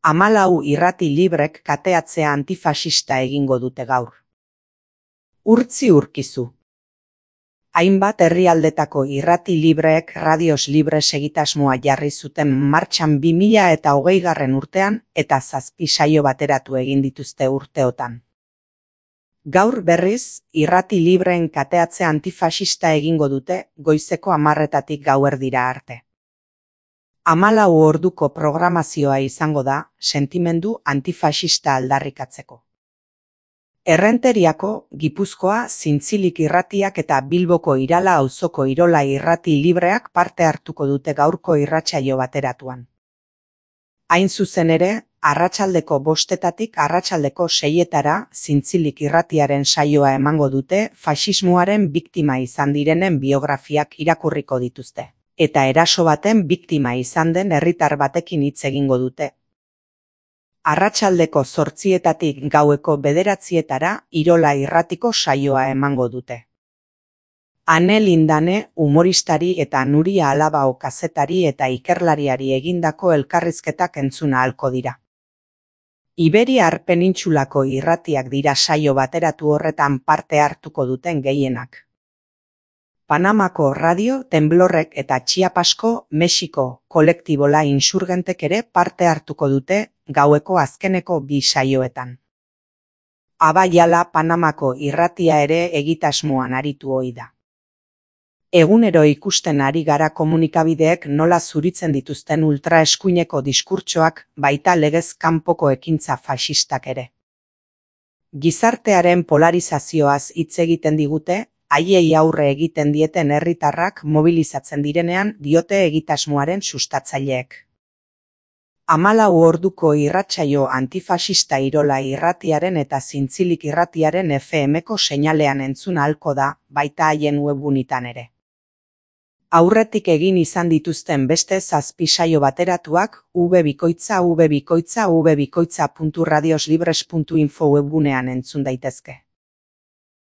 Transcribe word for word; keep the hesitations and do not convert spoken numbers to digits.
Hamalau irrati librek kateatzea antifasista egingo dute gaur. Urtzi urkizu. Hainbat herrialdetako irrati libreek radios libres egitasmoa jarri zuten martxan bi mila eta hogeigarren urtean eta zazpi saio bateratu egin dituzte urteotan. Gaur berriz, irrati libreen kateatzea antifasista egingo dute goizeko hamarretatik gauerdira arte. Hamalau orduko programazioa izango da sentimendu antifasista aldarrikatzeko. Errenteriako, Gipuzkoa, Zintzilik irratiak eta Bilboko Irala auzoko Irola irrati libreak parte hartuko dute gaurko irratsaio bateratuan. Hain zuzen ere, arratsaldeko bostetatik arratsaldeko seietara Zintzilik irratiaren saioa emango dute faxismoaren biktima izan direnen biografiak irakurriko dituzte, eta eraso baten biktima izan den herritar batekin hitz egingo dute. Arratsaldeko zortzietatik gaueko bederatzietara Irola irratiko saioa emango dute. Ane Lindane humoristari eta Nuria Alabao kazetari eta ikerlariari egindako elkarrizketak entzuna ahalko dira. Iberiar penintsulako irratiak dira saio bateratu horretan parte hartuko duten gehienak. Panamako Radio, Temblorrek eta Chiapasko, Mexiko, kolektibola insurgentek ere parte hartuko dute gaueko azkeneko bi saioetan. Abaiala Panamako irratia ere egitasmoan aritu ohi da. Egunero ikusten ari gara komunikabideek nola zuritzen dituzten ultraeskuineko diskurtsoak baita legez kanpoko ekintza faxistak ere. Gizartearen polarizazioaz hitz egiten digute, haiei aurre egiten dieten herritarrak mobilizatzen direnean diote egitasmoaren sustatzaileek. Hamalau orduko irratsaio antifasista Irola irratiaren eta Zintzilik irratiaren F M-ko seinalean entzun ahalko da, baita haien webgunetan ere. Aurretik egin izan dituzten beste zazpi saio bateratuak www.bikoitza www.radios libres puntu info webgunean entzun daitezke.